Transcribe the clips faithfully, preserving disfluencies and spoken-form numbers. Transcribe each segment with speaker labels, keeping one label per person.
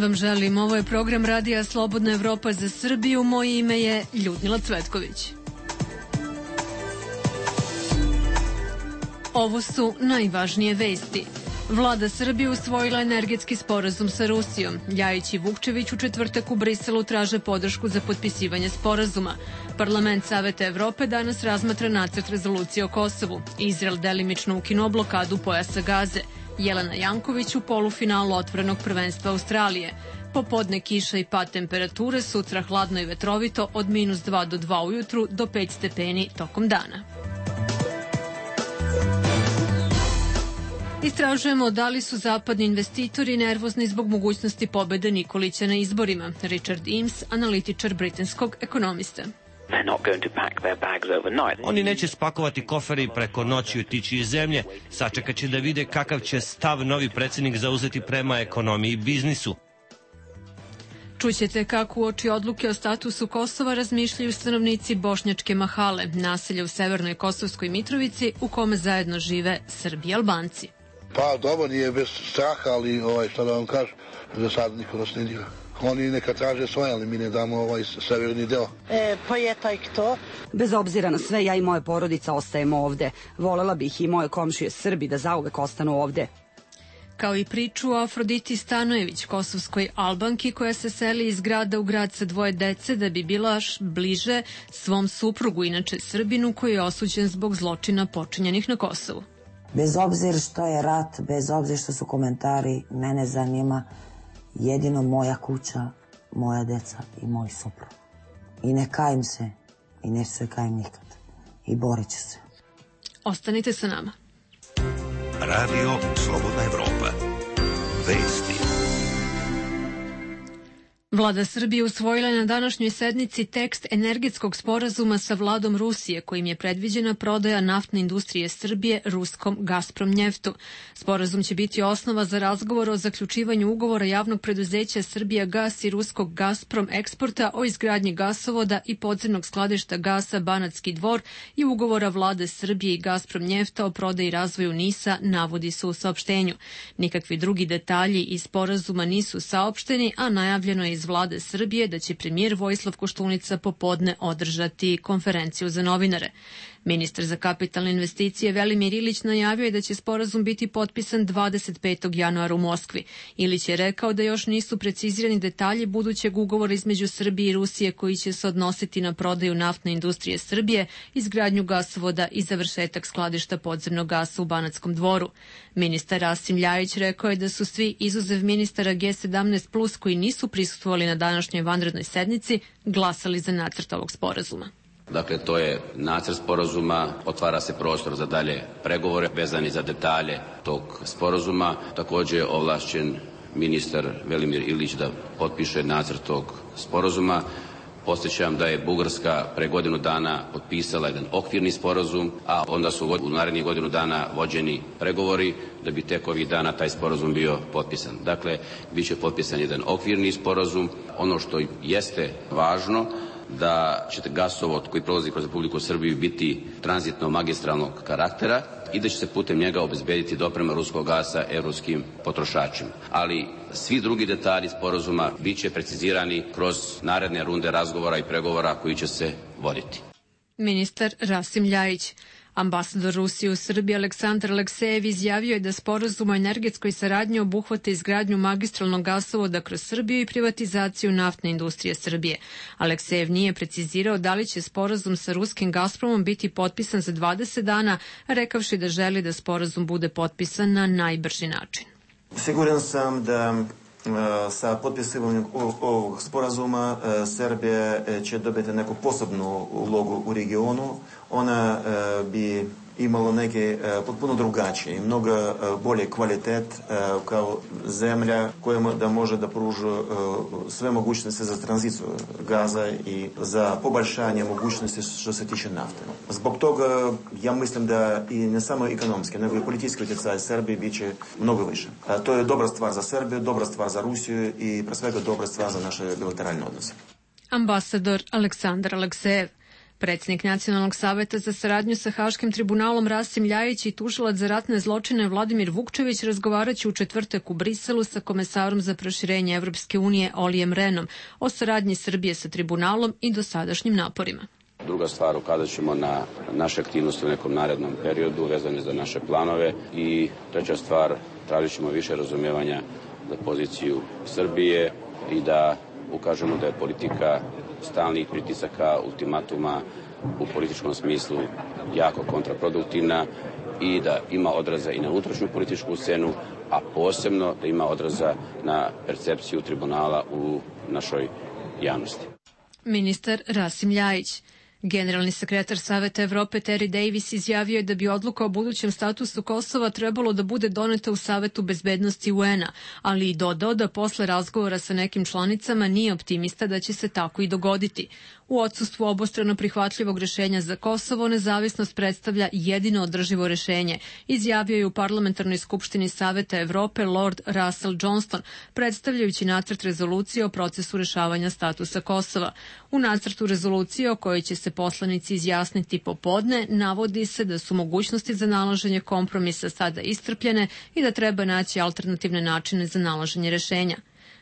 Speaker 1: vam želim. Ovo je program Radija Slobodna Evropa za Srbiju. Moje ime je Ljudmila Cvetković. Ovo su najvažnije vesti. Vlada Srbije usvojila energetski sporazum sa Rusijom. Ljajić i Vukčević u četvrtak u Briselu traže podršku za potpisivanje sporazuma. Parlament Saveta Evrope danas razmatra nacrt rezolucije o Kosovu. Izrael delimično ukinuo blokadu pojasa Gaze. Jelena Janković u polufinalu otvorenog prvenstva Australije. Popodne kiša i pad temperature, sutra hladno i vetrovito od minus dva do dva ujutru do pet stepeni tokom dana. Istražujemo da li su zapadni investitori nervozni zbog mogućnosti pobede Nikolića na izborima. Richard Eames, analitičar britanskog ekonomista.
Speaker 2: Oni neće spakovati kofere i preko noći otići iz zemlje, sačekat će da vide kakav će stav novi predsjednik zauzeti prema ekonomiji i biznisu.
Speaker 1: Čućete kako uoči odluke o statusu Kosova razmišljaju stanovnici Bošnjačke Mahale, naselja u severnoj Kosovskoj Mitrovici u kome zajedno žive Srbi i Albanci.
Speaker 3: Pa dobro, nije bez straha, ali ovaj, šta da vam kažem, za sad niko nas ne dira. Oni neka traže svoje, ali mi ne damo ovaj severni deo.
Speaker 4: E, pa je taj kto?
Speaker 5: Bez obzira na sve, ja i moja porodica ostajemo ovde. Volela bih i moje komšije Srbi da zauvek ostanu ovde.
Speaker 1: Kao i priču o Afroditi Stanojević, kosovskoj Albanki koja se seli iz grada u grad sa dvoje dece da bi bila bliže svom suprugu, inače Srbinu, koji je osuđen zbog zločina počinjenih na Kosovu.
Speaker 6: Bez obzira što je rat, bez obzira što su komentari, mene zanima jedino moja kuća, moja deca i moj suprug. I ne kajem se, i neću se kajem nikad. I borit ću se.
Speaker 1: Ostanite sa nama.
Speaker 7: Radio Slobodna Evropa. Vesti.
Speaker 1: Vlada Srbije usvojila je na današnjoj sednici tekst energetskog sporazuma sa vladom Rusije, kojim je predviđena prodaja naftne industrije Srbije ruskom Gazpromnjeftu. Sporazum će biti osnova za razgovor o zaključivanju ugovora javnog preduzeća Srbijagas i ruskog Gazprom eksporta o izgradnji gasovoda i podzemnog skladišta gasa Banatski Dvor i ugovora vlade Srbije i Gazpromnjefta o prodaji i razvoju NIS-a, navodi se u saopštenju. Nikakvi drugi detalji iz sporazuma nisu saopšteni, a najavljeno je iz vlade Srbije da će premijer Vojislav Koštunica popodne održati konferenciju za novinare. Ministar za kapitalne investicije Velimir Ilić najavio je da će sporazum biti potpisan dvadeset petog januara u Moskvi. Ilić je rekao da još nisu precizirani detalji budućeg ugovora između Srbije i Rusije koji će se odnositi na prodaju naftne industrije Srbije, izgradnju gasovoda i završetak skladišta podzemnog gasa u Banatskom Dvoru. Ministar Rasim Ljajić rekao je da su svi, izuzev ministara G sedamnaest plus, koji nisu prisustvovali na današnjoj vanrednoj sednici, glasali za nacrt ovog sporazuma.
Speaker 8: Dakle, to je nacrt sporazuma, otvara se prostor za dalje pregovore vezani za detalje tog sporazuma. Također je ovlašćen ministar Velimir Ilić da potpiše nacrt tog sporazuma. Podsjećam da je Bugarska pre godinu dana potpisala jedan okvirni sporazum, a onda su u narednih godinu dana vođeni pregovori da bi tek ovih dana taj sporazum bio potpisan. Dakle, bit će potpisan jedan okvirni sporazum. Ono što jeste važno, da će gasovod koji prolazi kroz Republiku Srbiju biti tranzitno magistralnog karaktera i da će se putem njega obezbediti doprema ruskog gasa evropskim potrošačima. Ali svi drugi detalji sporazuma bit će precizirani kroz naredne runde razgovora i pregovora koji će se voditi.
Speaker 1: Ministar Rasim Ljajić. Ambasador Rusije u Srbiji Aleksandar Aleksejev izjavio je da sporazum o energetskoj saradnji obuhvata izgradnju magistralnog gasovoda kroz Srbiju i privatizaciju naftne industrije Srbije. Aleksejev nije precizirao da li će sporazum sa ruskim Gazpromom biti potpisan za dvadeset dana, rekavši da želi da sporazum bude potpisan na najbrži način.
Speaker 9: Siguran sam da sa potpisivanjem ovog sporazuma Srbija će dobiti neku posebnu ulogu u regionu. Ona bi imala neke potpuno drugačije i mnogo bolje kvalitet kao zemlja koja da može da pruža sve mogućnosti za tranziciju gaza i za poboljšanje mogućnosti što se tiče nafte. Zbog toga ja mislim da i ne samo ekonomski, nego i politički utjecaj Srbije bit će mnogo više. To je dobra stvar za Srbiju, dobra stvar za Rusiju i pre svega dobra stvar za naše bilateralne odnose.
Speaker 1: Ambasador Aleksandar Aleksejev. Predsjednik Nacionalnog saveta za saradnju sa Haškim tribunalom Rasim Ljajić i tužilac za ratne zločine Vladimir Vukčević razgovaraće u četvrtak u Briselu sa komesarom za proširenje Evropske unije Olijem Renom o saradnji Srbije sa tribunalom i dosadašnjim naporima.
Speaker 8: Druga stvar, ukazat ćemo na naše aktivnosti u nekom narednom periodu vezane za naše planove i treća stvar, tražit ćemo više razumevanja za poziciju Srbije i da ukažemo da je politika stalnih pritisaka, ultimatuma u političkom smislu jako kontraproduktivna i da ima odraza i na unutrašnju političku scenu, a posebno da ima odraza na percepciju tribunala u našoj javnosti.
Speaker 1: Ministar Rasim Ljajić. Generalni sekretar Saveta Evrope Terry Davis izjavio je da bi odluka o budućem statusu Kosova trebalo da bude doneta u Savetu bezbednosti U N-a, ali i dodao da posle razgovora sa nekim članicama nije optimista da će se tako i dogoditi. U odsustvu obostrano prihvatljivog rešenja za Kosovo, nezavisnost predstavlja jedino održivo rešenje, izjavio je u Parlamentarnoj skupštini Saveta Evrope Lord Russell Johnston, predstavljajući nacrt rezolucije o procesu rešavanja statusa Kosova. U nacrtu rezolucije o kojoj će se poslanici izjasniti popodne, navodi se da su mogućnosti za nalaženje kompromisa sada iscrpljene i da treba naći alternativne načine za nalaženje rešenja.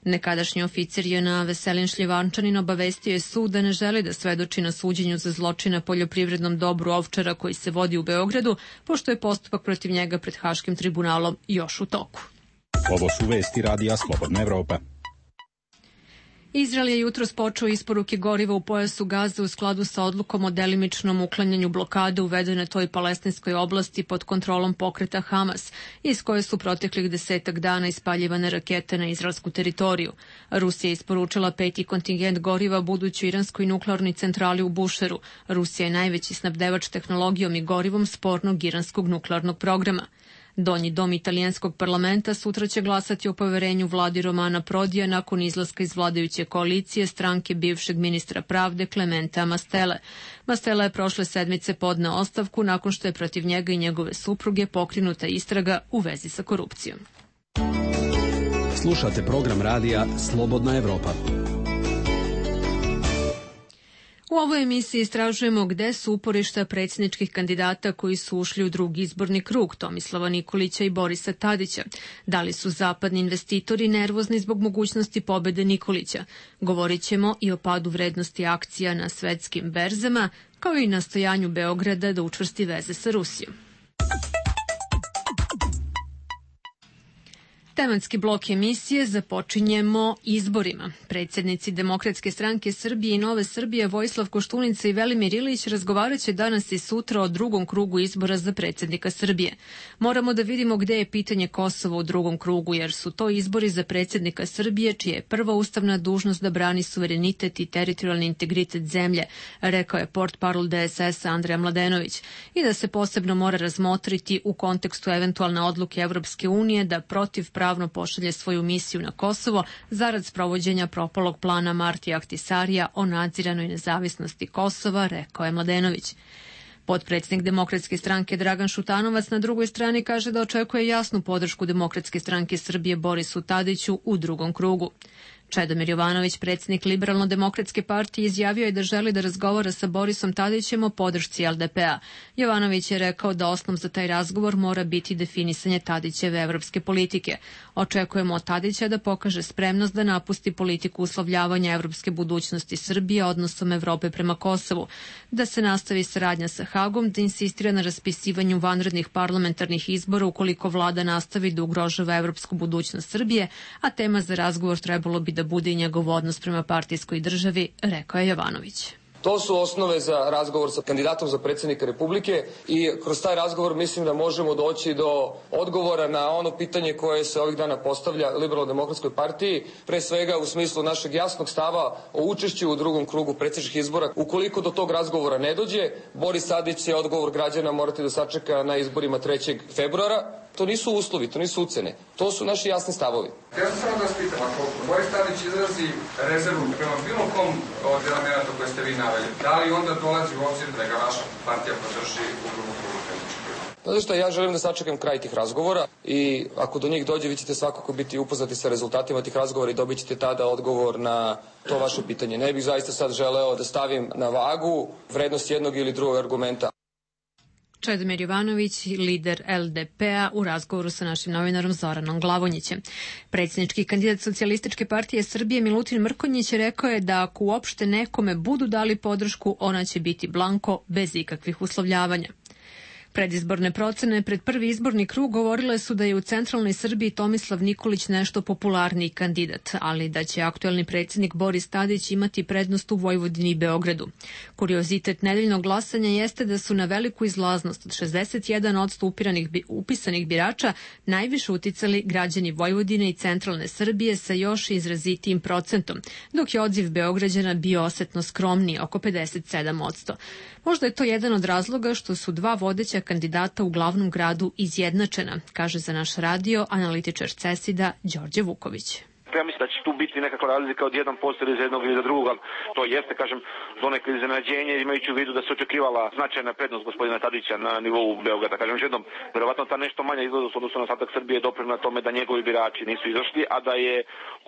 Speaker 1: Nekadašnji oficir J N A Veselin Šljivančanin obavestio je sud da ne želi da svedoči na suđenju za zločina poljoprivrednom dobru Ovčara koji se vodi u Beogradu, pošto je postupak protiv njega pred Haškim tribunalom još u toku.
Speaker 10: Ovo su vesti radija Slobodna Evropa.
Speaker 1: Izrael je jutros počeo isporuke goriva u pojasu Gaze u skladu sa odlukom o delimičnom uklanjanju blokade uvedene toj palestinskoj oblasti pod kontrolom pokreta Hamas, iz koje su proteklih desetak dana ispaljivane rakete na izraelsku teritoriju. Rusija je isporučila peti kontingent goriva budućoj iranskoj nuklearnoj centrali u Bušeru. Rusija je najveći snabdevač tehnologijom i gorivom spornog iranskog nuklearnog programa. Donji dom italijanskog parlamenta sutra će glasati o poverenju vladi Romana Prodija nakon izlaska iz vladajuće koalicije stranke bivšeg ministra pravde Clementea Mastelle. Mastella je prošle sedmice podneo ostavku nakon što je protiv njega i njegove supruge pokrenuta istraga u vezi sa korupcijom.
Speaker 10: Slušate program radija Slobodna Evropa.
Speaker 1: U ovoj emisiji istražujemo gde su uporišta predsjedničkih kandidata koji su ušli u drugi izborni krug, Tomislava Nikolića i Borisa Tadića. Da li su zapadni investitori nervozni zbog mogućnosti pobede Nikolića? Govorit ćemo i o padu vrednosti akcija na svetskim berzama, kao i nastojanju Beograda da učvrsti veze sa Rusijom. Tematski blok emisije započinjemo izborima. Predsjednici Demokratske stranke Srbije i Nove Srbije Vojislav Koštunica i Velimir Ilić razgovaraće danas i sutra o drugom krugu izbora za predsjednika Srbije. Moramo da vidimo gde je pitanje Kosova u drugom krugu, jer su to izbori za predsjednika Srbije, čija je prva ustavna dužnost da brani suverenitet i teritorijalni integritet zemlje, rekao je portparol D S S-a Andreja Mladenović, i da se posebno mora razmotriti u kontekstu eventualne odluke Evropske unije da protiv pravno pošalje svoju misiju na Kosovo zarad sprovođenja propalog plana Martija Ahtisarija o nadziranoj nezavisnosti Kosova, rekao je Mladenović. Potpredsjednik Demokratske stranke Dragan Šutanovac na drugoj strani kaže da očekuje jasnu podršku Demokratske stranke Srbije Borisu Tadiću u drugom krugu. Čedomir Jovanović, predsjednik Liberalno-demokratske partije, izjavio je da želi da razgovara sa Borisom Tadićem o podršci L D P-a. Jovanović je rekao da osnov za taj razgovor mora biti definisanje Tadićeve evropske politike. Očekujemo od Tadića da pokaže spremnost da napusti politiku uslovljavanja evropske budućnosti Srbije odnosom Evrope prema Kosovu, da se nastavi saradnja sa Hagom, da insistira na raspisivanju vanrednih parlamentarnih izbora ukoliko vlada nastavi da ugrožava evropsku budućnost Srbije, a tema za razgovor trebalo bi da bude i njegov odnos prema partijskoj državi, rekao je Jovanović.
Speaker 11: To su osnove za razgovor sa kandidatom za predsjednika Republike i kroz taj razgovor mislim da možemo doći do odgovora na ono pitanje koje se ovih dana postavlja Liberalno-demokratskoj partiji, pre svega u smislu našeg jasnog stava o učešću u drugom krugu predsjedničkih izbora. Ukoliko do tog razgovora ne dođe, Boris Tadić će odgovor građana morati da sačeka na izborima trećeg februara. To nisu uslovi, to nisu ucene. To su naši jasni stavovi.
Speaker 12: Ja sam samo da vas pitam, ako Boris Tadić izrazi rezervu prema bilo kom od elemenata koje ste vi naveli, da li onda dolazi u obzir da ga vaša partija podrži u drugom krugu predsjedničkih izbora?
Speaker 11: Znate šta, ja želim da sačekam kraj tih razgovora i ako do njih dođe, vi ćete svakako biti upoznati sa rezultatima tih razgovora i dobit ćete tada odgovor na to vaše pitanje. Ne bih zaista sad želeo da stavim na vagu vrednost jednog ili drugog argumenta.
Speaker 1: Čedomir Jovanović, lider L D P-a, u razgovoru sa našim novinarom Zoranom Glavonjićem. Predsjednički kandidat Socijalističke partije Srbije Milutin Mrkonjić rekao je da ako uopšte nekome budu dali podršku, ona će biti blanko, bez ikakvih uslovljavanja. Predizborne procene pred prvi izborni krug govorile su da je u centralnoj Srbiji Tomislav Nikolić nešto popularniji kandidat, ali da će aktuelni predsjednik Boris Tadić imati prednost u Vojvodini i Beogradu. Kuriozitet nedeljnog glasanja jeste da su na veliku izlaznost od šezdeset jedan posto upisanih birača najviše uticali građani Vojvodine i centralne Srbije sa još izrazitijim procentom, dok je odziv Beograđana bio osetno skromniji, oko pedeset sedam posto. Možda je to jedan od razloga što su dva vodeća kandidata u glavnom gradu izjednačena, kaže za naš radio analitičar CESID-a Đorđe Vuković.
Speaker 13: Ja mislim da će tu biti nekakva razlika od jedan posto ili za jednog ili za drugog, ali to jeste, kažem, donekle iznenađenje, imajući u vidu da se očekivala značajna prednost gospodina Tadića na nivou Beograda. Kažem još jednom, verovatno ta nešto manja izlaznost odnosno na ostatak Srbije je doprinela tome da njegovi birači nisu izašli, a da je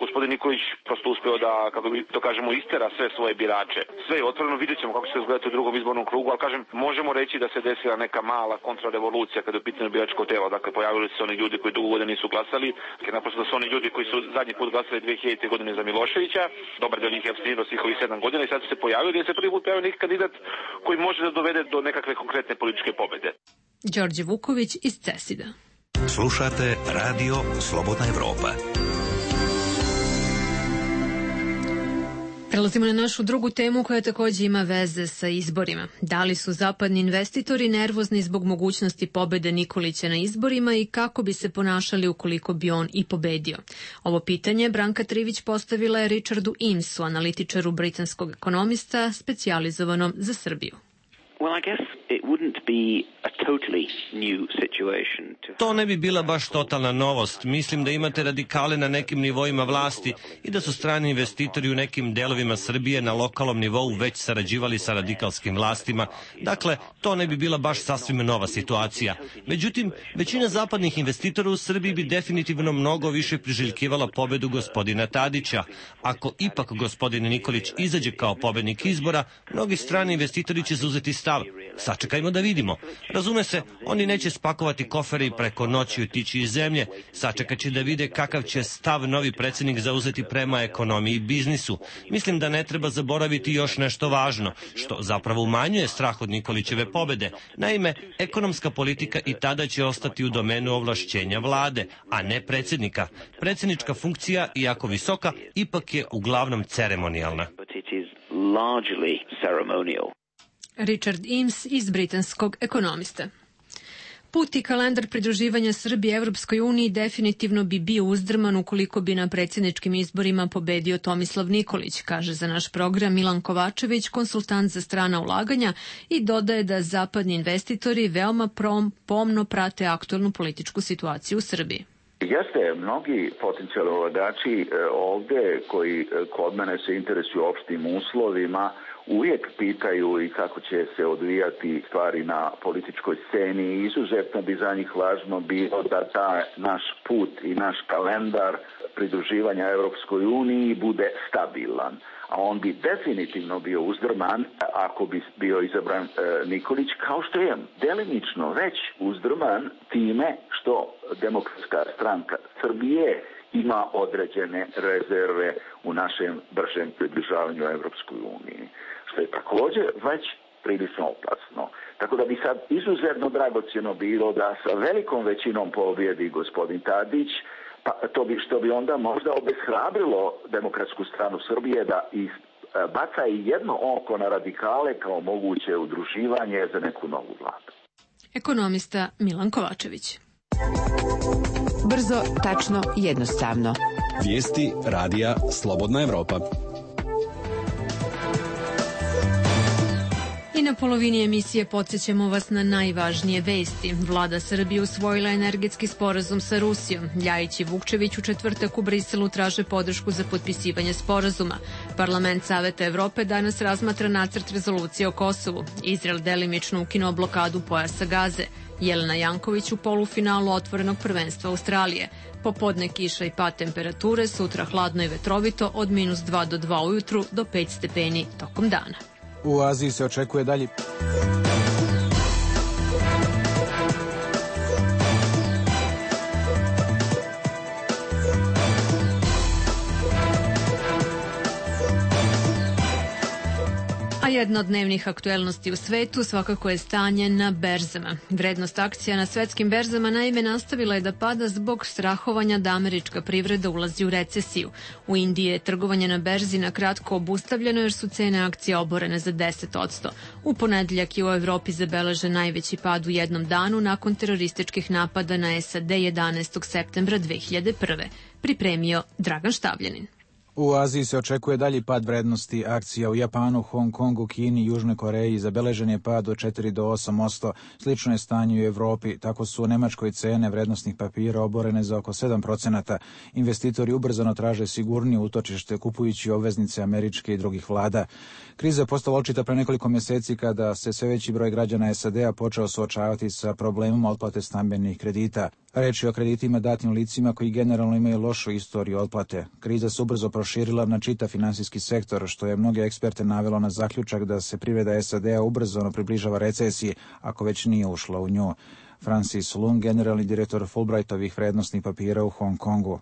Speaker 13: gospodin Nikolić prosto uspeo da, kako bi to kažemo, istera sve svoje birače. Sve je otvoreno, vidjet ćemo kako će se izgledati u drugom izbornom krugu, ali kažem, možemo reći da se desila neka mala kontrarevolucija kada je u pitanju biračko telo. Dakle, pojavili se oni ljudi koji dugo godina nisu glasali, naprosto da su oni ljudi koji su zadnji put glasali dve hiljadite. godine za Miloševića, dobar del njih je apstinirao svih ovih sedam godina i sad su se pojavili da se prvi put pojavio neki kandidat koji može da dovede do nekakve konkretne političke pobede.
Speaker 1: Đorđe Vuković iz CESID-a.
Speaker 7: Slušate Radio Slobodna Evropa.
Speaker 1: Prelazimo na našu drugu temu koja takođe ima veze sa izborima. Da li su zapadni investitori nervozni zbog mogućnosti pobede Nikolića na izborima i kako bi se ponašali ukoliko bi on i pobedio? Ovo pitanje Branka Trivić postavila je Richardu Eamesu, analitičaru britanskog ekonomista specijalizovanom za Srbiju.
Speaker 14: Well, I guess it wouldn't be a totally new situation to...
Speaker 2: To ne bi bila baš totalna novost. Mislim da imate radikale na nekim nivoima vlasti i da su strani investitori u nekim delovima Srbije na lokalnom nivou već sarađivali sa radikalskim vlastima. Dakle, to ne bi bila baš sasvim nova situacija. Međutim, većina zapadnih investitora u Srbiji bi definitivno mnogo više priželjkivala pobedu gospodina Tadića. Ako ipak gospodin Nikolić izađe kao pobednik izbora, mnogi strani investitori će zauzeti stav. Sačekajmo da vidimo. Razume se, oni neće spakovati kofere i preko noći otići iz zemlje. Sačekat će da vide kakav će stav novi predsjednik zauzeti prema ekonomiji i biznisu. Mislim da ne treba zaboraviti još nešto važno, što zapravo umanjuje strah od Nikolićeve pobede. Naime, ekonomska politika i tada će ostati u domenu ovlašćenja vlade, a ne predsjednika. Predsjednička funkcija, iako visoka, ipak je uglavnom ceremonijalna.
Speaker 1: Richard Eames iz britanskog ekonomista. Put i kalendar pridruživanja Srbije Evropskoj uniji definitivno bi bio uzdrman ukoliko bi na predsjedničkim izborima pobedio Tomislav Nikolić, kaže za naš program Milan Kovačević, konsultant za strana ulaganja, i dodaje da zapadni investitori veoma prom, pomno prate aktuelnu političku situaciju u Srbiji.
Speaker 15: Jeste, mnogi potencijalni ulagači ovde koji kod mene se interesuju opštim uslovima uvijek pitaju i kako će se odvijati stvari na političkoj sceni i izuzetno bi za njih važno bilo da taj naš put i naš kalendar pridruživanja Evropskoj uniji bude stabilan. A on bi definitivno bio uzdrman ako bi bio izabran e, Nikolić, kao što je delimično već uzdrman time što Demokratska stranka Srbije ima određene rezerve u našem bržem približavanju Evropskoj uniji, što je također već prilično opasno. Tako da bi sad izuzetno dragocjeno bilo da sa velikom većinom pobjedi gospodin Tadić, pa to bi, što bi onda možda obeshrabrilo Demokratsku stranu Srbije da i baca i jedno oko na radikale kao moguće udruživanje za neku novu vladu.
Speaker 1: Ekonomista Milan Kovačević.
Speaker 16: Brzo, tačno, jednostavno.
Speaker 10: Vijesti radija Slobodna Evropa.
Speaker 1: I na polovini emisije podsjećamo vas na najvažnije vesti. Vlada Srbije usvojila energetski sporazum sa Rusijom. Ljajić i Vukčević u četvrtak u Briselu traže podršku za potpisivanje sporazuma. Parlament Saveta Evrope danas razmatra nacrt rezolucije o Kosovu. Izrael delimično ukinuo blokadu pojasa Gaze. Jelena Janković u polufinalu otvorenog prvenstva Australije. Popodne kiša i pad temperature, sutra hladno i vetrovito od minus dva do dva ujutru do pet stepeni tokom dana.
Speaker 17: U Aziji se očekuje dalje.
Speaker 1: A jedna od dnevnih aktuelnosti u svetu svakako je stanje na berzama. Vrednost akcija na svetskim berzama naime nastavila je da pada zbog strahovanja da američka privreda ulazi u recesiju. U Indiji je trgovanje na berzi na kratko obustavljeno jer su cene akcija oborene za deset odsto. U ponedeljak je u Evropi zabeležen najveći pad u jednom danu nakon terorističkih napada na S A D jedanaestog septembra dve hiljade prve. Pripremio Dragan Štavljanin.
Speaker 17: U Aziji se očekuje dalji pad vrednosti akcija. U Japanu, Hong Kongu, Kini, Južnoj Koreji zabeležen je pad od četiri do osam posto. Slično je stanje u Evropi. Tako su u Nemačkoj cene vrednosnih papira oborene za oko sedam procenata. Investitori ubrzano traže sigurnije utočište kupujući obveznice američke i drugih vlada. Kriza je postala očita pre nekoliko mjeseci kada se sve veći broj građana S A D-a počeo suočavati sa problemom otplate stambenih kredita. Reč je o kreditima datim licima koji generalno imaju lošu istoriju otplate. Kriza se ubrzo proširila na čitav finansijski sektor, što je mnoge eksperte navelo na zaključak da se privreda S A D-a ubrzano približava recesiji, ako već nije ušla u nju. Francis Lung, generalni direktor Fulbrightovih vrednosnih papira u Hong Kongu.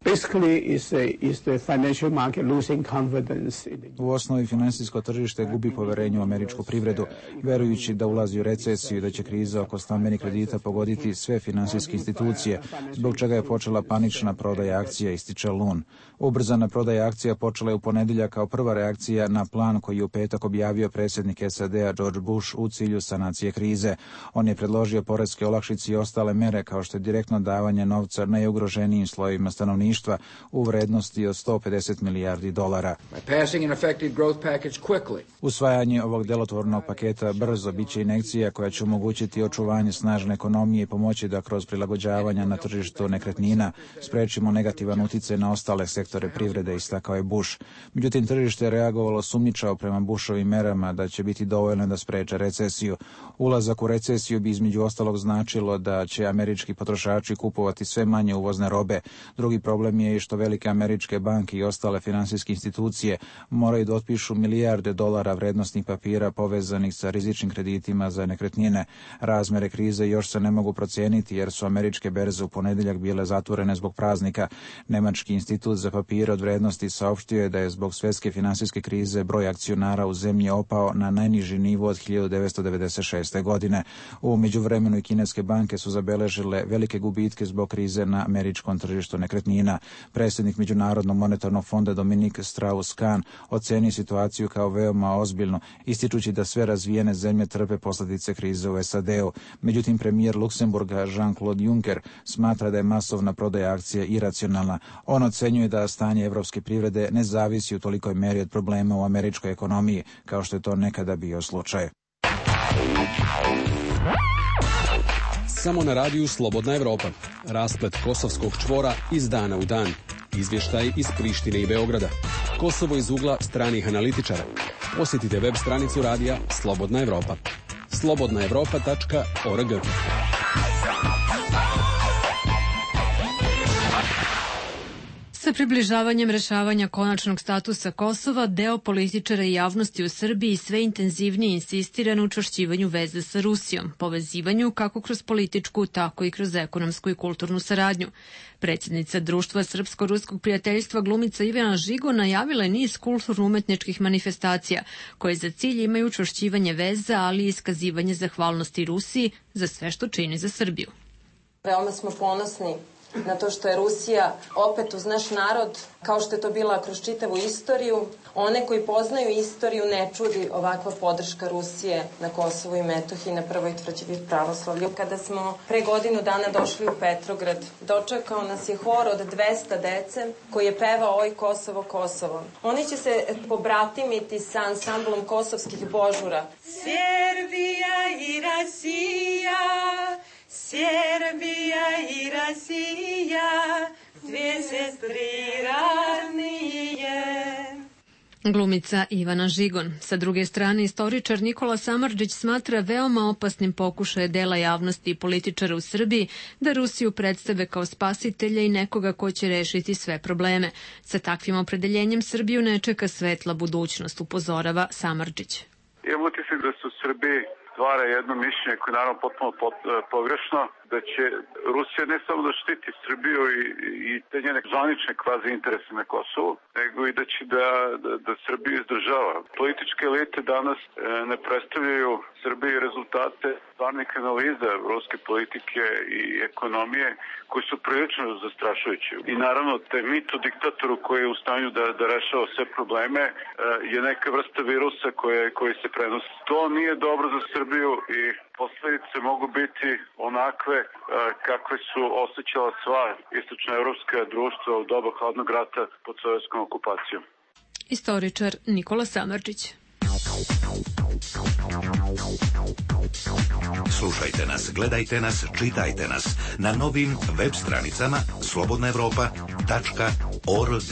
Speaker 17: U osnovi finansijsko tržište gubi poverenje u američku privredu, verujući da ulazi u recesiju i da će kriza oko stambenih kredita pogoditi sve finansijske institucije, zbog čega je počela panična prodaja akcija, ističe Lun. Ubrzana prodaja akcija počela je u ponedeljak kao prva reakcija na plan koji je u petak objavio predsjednik S A D-a George Bush u cilju sanacije krize. On je predložio poreske olakšice i ostale mere kao što je direktno davanje novca najugroženijim slojevima stanovništva u vrednosti od sto pedeset milijardi dolara. Usvajanje ovog delotvornog paketa brzo biće injekcija koja će omogućiti očuvanje snažne ekonomije i pomoći da kroz prilagođavanja na tržištu nekretnina sprečimo negativan uticaj na ostale sektore privrede, istakao je Bush. Međutim, tržište je reagovalo sumnjičavo prema Bushovim merama da će biti dovoljno da spreče recesiju. Ulazak u recesiju bi između ostalog značilo da će američki potrošači kupovati sve manje uvozne robe. Drugi problem je i što velike američke banke i ostale finansijske institucije moraju da otpišu milijarde dolara vrednosnih papira povezanih sa rizičnim kreditima za nekretnine. Razmere krize još se ne mogu procijeniti jer su američke berze u ponedeljak bile zatvorene zbog praznika. Nemački institut za papire od vrednosti saopštio je da je zbog svjetske finansijske krize broj akcionara u zemlji opao na najniži nivo od hiljadu devetsto devedeset šeste. godine. U međuvremenu i kineske banke su zabeležile velike gubitke zbog krize na američkom tržištu nekretnina. Predsjednik Međunarodnog monetarnog fonda Dominik Strauss-Kahn oceni situaciju kao veoma ozbiljnu, ističući da sve razvijene zemlje trpe posljedice krize u S A D-u. Međutim, premijer Luksemburga Jean-Claude Juncker smatra da je masovna prodaja akcija iracionalna. On ocenjuje da stanje evropske privrede ne zavisi u tolikoj meri od problema u američkoj ekonomiji, kao što je to nekada bio slučaj.
Speaker 10: Samo na radiju Slobodna Evropa. Rasplet kosovskog čvora iz dana u dan. Izvještaj iz Prištine i Beograda. Kosovo iz ugla stranih analitičara. Posjetite web stranicu radija Slobodna Evropa. slobodna evropa tačka org.
Speaker 1: Sa približavanjem rešavanja konačnog statusa Kosova, deo političara i javnosti u Srbiji sve intenzivnije insistira na učvršćivanju veze sa Rusijom, povezivanju kako kroz političku, tako i kroz ekonomsku i kulturnu saradnju. Predsjednica Društva Srpsko-ruskog prijateljstva glumica Ivana Žigo najavila je niz kulturno-umetničkih manifestacija koje za cilj imaju učvršćivanje veza, ali i iskazivanje zahvalnosti Rusiji za sve što čini za Srbiju.
Speaker 18: Veoma smo ponosni na to što je Rusija opet uz naš narod, kao što je to bila kroz čitavu istoriju. One koji poznaju istoriju ne čudi ovakva podrška Rusije na Kosovu i Metohiji na prvoj tvrđavi pravoslavlja. Kada smo pre godinu dana došli u Petrograd, dočekao nas je hor od dvesta dece koji je pevao Oj Kosovo, Kosovo. Oni će se pobratimiti sa ansamblom kosovskih božura.
Speaker 19: Serbija i Rasija, Serbija i Rasija, dvije sestri radnije.
Speaker 1: Glumica Ivana Žigon. Sa druge strane, istoričar Nikola Samardžić smatra veoma opasnim pokušaje dela javnosti i političara u Srbiji da Rusiju predstave kao spasitelja i nekoga ko će rešiti sve probleme. Sa takvim opredeljenjem Srbiju ne čeka svetla budućnost, upozorava Samardžić.
Speaker 20: Imam utisak da su u Srbiji stvara jedno mišljenje koje je naravno potpuno pot, pogrešno, da će Rusija ne samo da štiti Srbiju i, i te njene zvanične kvazi interese na Kosovu, nego i da će da, da, da Srbiju izdržava. Političke elite danas e, ne predstavljaju Srbiji rezultate stvarnih analiza ruske politike i ekonomije koji su prilično zastrašujući. I naravno, te mito diktatoru koji je u stanju da, da rešava sve probleme e, je neka vrsta virusa koje, koji se prenosi. To nije dobro za Srbiju i posledice mogu biti onakve e, kakve su osjećala sva istočnoevropska društva u doba hladnog rata pod sovjetskom okupacijom.
Speaker 1: Istoričar Nikola Samardžić.
Speaker 7: Slušajte nas, gledajte nas, čitajte nas na novim web stranicama slobodna evropa tačka org.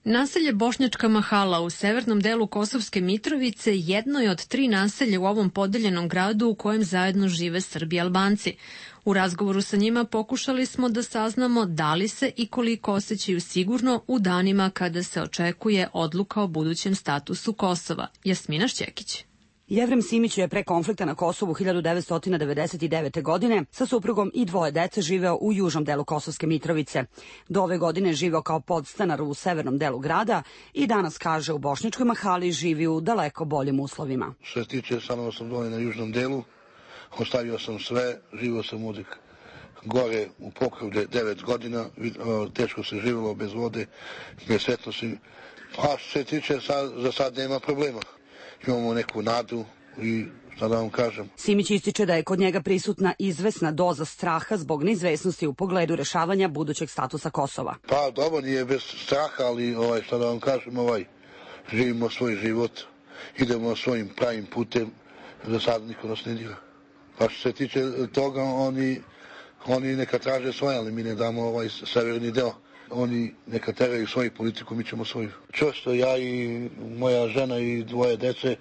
Speaker 1: Naselje Bošnjačka Mahala u severnom delu Kosovske Mitrovice jedno je od tri naselja u ovom podeljenom gradu u kojem zajedno žive Srbi i Albanci. U razgovoru sa njima pokušali smo da saznamo da li se i koliko osjećaju sigurno u danima kada se očekuje odluka o budućem statusu Kosova. Jasmina Šćekić.
Speaker 5: Jevrem Simić je pre konflikta na Kosovu hiljadu devetsto devedeset devete. godine sa suprugom i dvoje dece živeo u južnom delu Kosovske Mitrovice. Do ove godine živeo kao podstanar u severnom delu grada i danas, kaže, u Bošnjačkoj Mahali živi u daleko boljim uslovima.
Speaker 3: Što se tiče, stanovao sam dole na južnom delu, ostavio sam sve, živio sam ovdje gore u Pokrovlje devet godina, teško se živjelo bez vode, bez svetlosti. A što se tiče, sad, za sad nema problema. Imamo neku nadu i šta da vam kažem.
Speaker 5: Simić ističe da je kod njega prisutna izvesna doza straha zbog neizvesnosti u pogledu rešavanja budućeg statusa Kosova.
Speaker 3: Pa dobro, nije bez straha, ali ovaj, šta da vam kažem, ovaj, živimo svoj život, idemo svojim pravim putem, za sad niko nas ne dira. Pa što se tiče toga, oni, oni neka traže svoje, ali mi ne damo ovaj severni deo. Oni neka teraju svoju politiku, mi ćemo svoju. Čvrsto, ja i moja žena i dvoje dece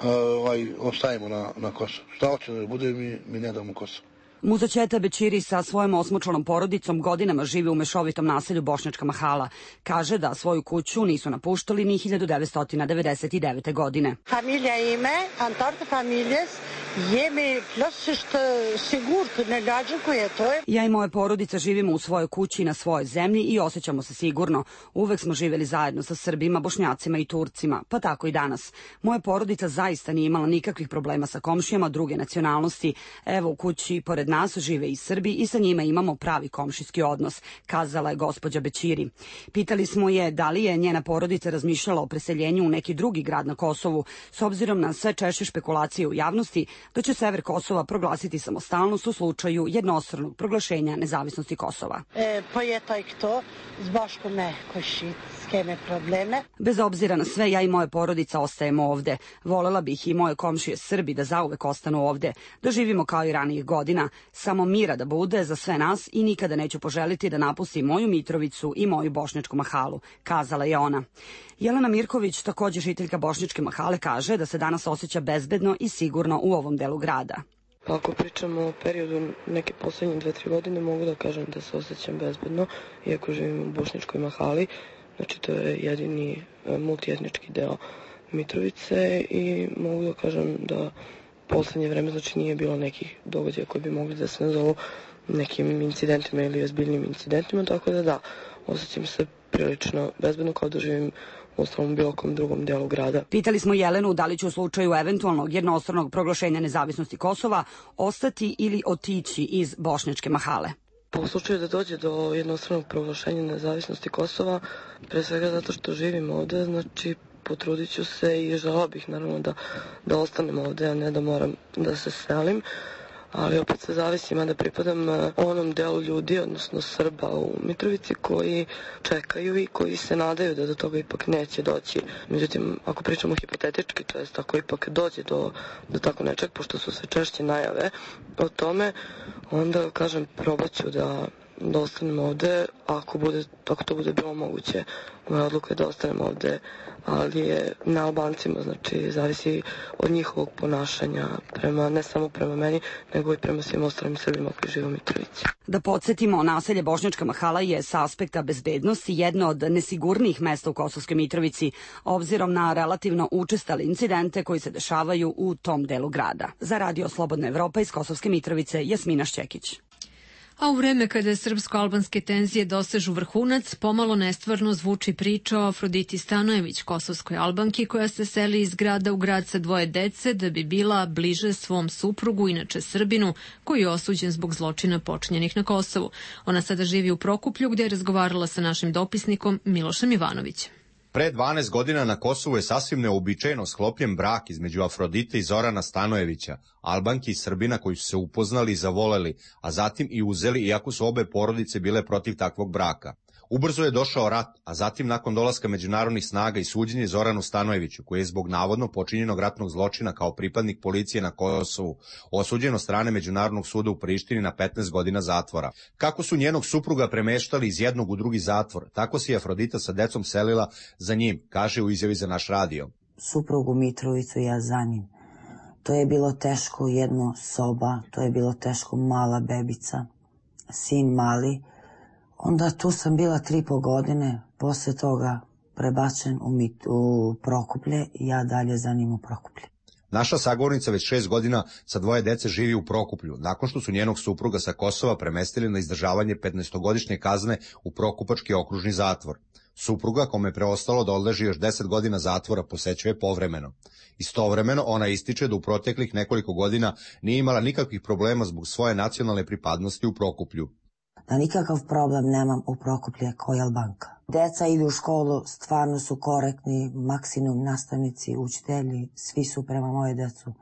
Speaker 3: ovaj, ostajemo na, na Kosovo. Šta hoće da bude, mi, mi ne damo Kosovo.
Speaker 5: Muza Ćeta Bećiri sa svojom osmočlanom porodicom godinama živi u mešovitom naselju Bošnjačka Mahala. Kaže da svoju kuću nisu napuštali ni hiljadu devetsto devedeset devete. godine.
Speaker 4: Familija ime, Antarta familjes, jemi plötsligt sigurt ne gađukuje to je.
Speaker 5: Ja i moja porodica živimo u svojoj kući na svojoj zemlji i osjećamo se sigurno. Uvek smo živjeli zajedno sa Srbima, Bošnjacima i Turcima, pa tako i danas. Moja porodica zaista nije imala nikakvih problema sa komšijama druge nacionalnosti. Evo, u kući pored nas žive i Srbi i sa njima imamo pravi komšijski odnos, kazala je gospođa Bećiri. Pitali smo je da li je njena porodica razmišljala o preseljenju u neki drugi grad na Kosovu, s obzirom na sve češće špekulacije u javnosti da će sever Kosova proglasiti samostalnost u slučaju jednostranog proglašenja nezavisnosti Kosova.
Speaker 4: E, pa je taj kto, zbaško me košitske probleme.
Speaker 5: Bez obzira na sve, ja i moja porodica ostajemo ovde. Volela bih i moje komšije Srbi da zauvek ostanu ovde, da živimo kao i ranijih godina, samo mira da bude za sve nas i nikada neću poželiti da napustim moju Mitrovicu i moju Bošnjačku Mahalu, kazala je ona. Jelena Mirković, takođe žiteljka Bošnjačke Mahale, kaže da se danas osjeća bezbedno i sigurno u ovom delu grada.
Speaker 21: Pa ako pričamo o periodu neke poslednje dve, tri godine, mogu da kažem da se osjećam bezbedno, iako živim u Bošnjačkoj Mahali. Znači, to je jedini multietnički deo Mitrovice i mogu da kažem da poslednje vreme, znači, nije bilo nekih događaja koji bi mogli da se nazovu nekim incidentima ili ozbiljnim incidentima, tako da da, osjećam se prilično bezbedno kao da živim u ostalom bilo kom drugom delu grada.
Speaker 5: Pitali smo Jelenu da li će u slučaju eventualnog jednostranog proglašenja nezavisnosti Kosova ostati ili otići iz Bošnjačke Mahale.
Speaker 21: Pa u slučaju da dođe do jednostranog proglašenja nezavisnosti Kosova, pre svega zato što živim ovde, znači potrudit ću se i želala bih naravno da, da ostanem ovde, a ne da moram da se selim. Ali opet se zavisi, mada pripadam onom delu ljudi, odnosno Srba u Mitrovici, koji čekaju i koji se nadaju da do toga ipak neće doći. Međutim, ako pričamo hipotetički, to jest ako ipak dođe do, do tako nečeg, pošto su sve češće najave o tome, onda, kažem, probat ću da, da ostanem ovde, ako, bude, ako to bude bilo moguće. Moja odluka je da ostanem ovde, ali je na Albancima, znači zavisi od njihovog ponašanja, prema, ne samo prema meni, nego i prema svim ostalim Srbima koji žive u Mitrovici.
Speaker 5: Da podsjetimo, naselje Bošnjačka Mahala je sa aspekta bezbednosti jedno od nesigurnijih mesta u Kosovskoj Mitrovici, obzirom na relativno učestale incidente koji se dešavaju u tom delu grada. Za Radio Slobodna Evropa iz Kosovske Mitrovice, Jasmina Šćekić.
Speaker 1: A u vreme kada srpsko-albanske tenzije dosežu vrhunac, pomalo nestvarno zvuči priča o Afroditi Stanojević, kosovskoj Albanki koja se seli iz grada u grad sa dvoje dece da bi bila bliže svom suprugu, inače Srbinu, koji je osuđen zbog zločina počinjenih na Kosovu. Ona sada živi u Prokuplju gdje je razgovarala sa našim dopisnikom Milošem Ivanovićem.
Speaker 6: Pre dvanaest godina na Kosovu je sasvim neobičajeno sklopljen brak između Afrodite i Zorana Stanojevića, Albanki i Srbina koji su se upoznali i zavoleli, a zatim i uzeli, iako su obe porodice bile protiv takvog braka. Ubrzo je došao rat, a zatim nakon dolaska međunarodnih snaga i suđenje Zoranu Stanojeviću, koji je zbog navodno počinjenog ratnog zločina kao pripadnik policije na Kosovu osuđen od strane Međunarodnog suda u Prištini na petnaest godina zatvora. Kako su njenog supruga premeštali iz jednog u drugi zatvor, tako se je Afrodita sa decom selila za njim, kaže u izjavi za naš radio.
Speaker 22: Suprugu Mitrovicu ja za njim. To je bilo teško, jedno soba, to je bilo teško, mala bebica, sin mali. Onda tu sam bila tri po godine, posle toga prebačen u, mit, u Prokuplje i ja dalje za njim u Prokuplje.
Speaker 6: Naša sagovornica već šest godina sa dvoje dece živi u Prokuplju, nakon što su njenog supruga sa Kosova premestili na izdržavanje petnaestogodišnje kazne u Prokupački okružni zatvor. Supruga, kome je preostalo da odleži još deset godina zatvora, posećuje povremeno. Istovremeno ona ističe da u proteklih nekoliko godina nije imala nikakvih problema zbog svoje nacionalne pripadnosti u Prokuplju.
Speaker 22: Da nikakav problem nemam u Prokuplje koji Albanka. Deca idu u školu, stvarno su korektni, maksimum nastavnici, učitelji, svi su prema moje decu.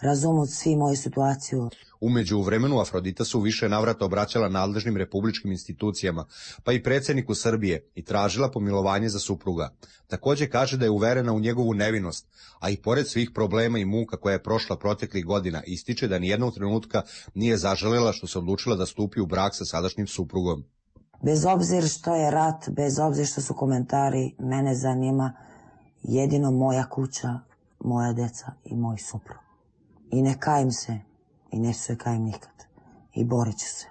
Speaker 22: Razumu svi moju situaciju.
Speaker 6: Umeđu vremenu Afrodita su više navrata obraćala nadležnim republičkim institucijama, pa i predsjedniku Srbije, i tražila pomilovanje za supruga. Također kaže da je uverena u njegovu nevinost, a i pored svih problema i muka koja je prošla proteklih godina, ističe da nijednog trenutka nije zaželjela što se odlučila da stupi u brak sa sadašnjim suprugom.
Speaker 22: Bez obzira što je rat, bez obzira što su komentari, mene zanima jedino moja kuća, moja deca i moj suprug. I ne kajem se, i ne se kajem nikad. I borit ću se.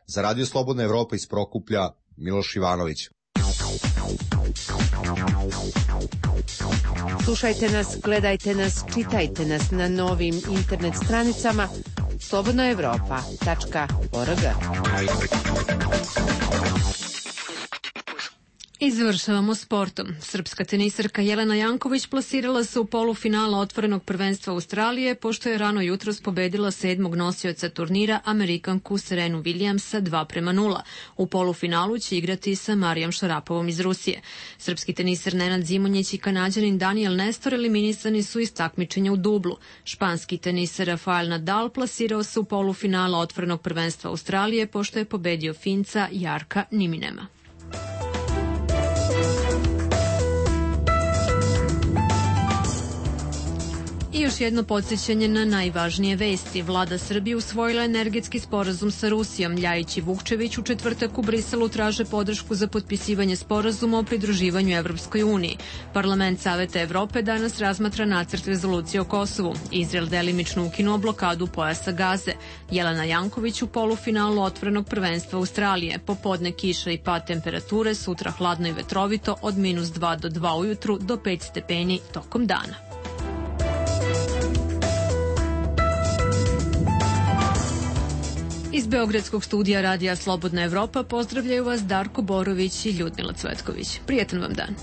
Speaker 6: Za Radio Slobodna Evropa iz Prokuplja, Miloš Ivanović.
Speaker 16: Slušajte nas, gledajte nas, čitajte nas na novim internet stranicama slobodna evropa tačka org.
Speaker 1: I završavamo sportom. Srpska tenisarka Jelena Janković plasirala se u polufinala otvorenog prvenstva Australije, pošto je rano jutros pobedila sedmog nosioca turnira, Amerikanku Serenu Williamsa dva prema nula. U polufinalu će igrati sa Marijom Šarapovom iz Rusije. Srpski tenisar Nenad Zimonjić i Kanađanin Daniel Nestor eliminisani su iz takmičenja u dublu. Španski tenisar Rafael Nadal plasirao se u polufinala otvorenog prvenstva Australije, pošto je pobedio Finca Jarka Niminema. I još jedno podsjećanje na najvažnije vesti. Vlada Srbije usvojila energetski sporazum sa Rusijom. Ljajić i Vukčević u četvrtak u Briselu traže podršku za potpisivanje sporazuma o pridruživanju Evropskoj uniji. Parlament Saveta Evrope danas razmatra nacrt rezolucije o Kosovu. Izrael delimično ukinuo blokadu pojasa Gaze. Jelena Janković u polufinalu otvorenog prvenstva Australije. Popodne kiša i pad temperature, sutra hladno i vetrovito od minus dva do dva ujutru do pet stepeni tokom dana. Iz Beogradskog studija Radija Slobodna Evropa pozdravljaju vas Darko Borović i Ljudmila Cvetković. Prijetan vam dan.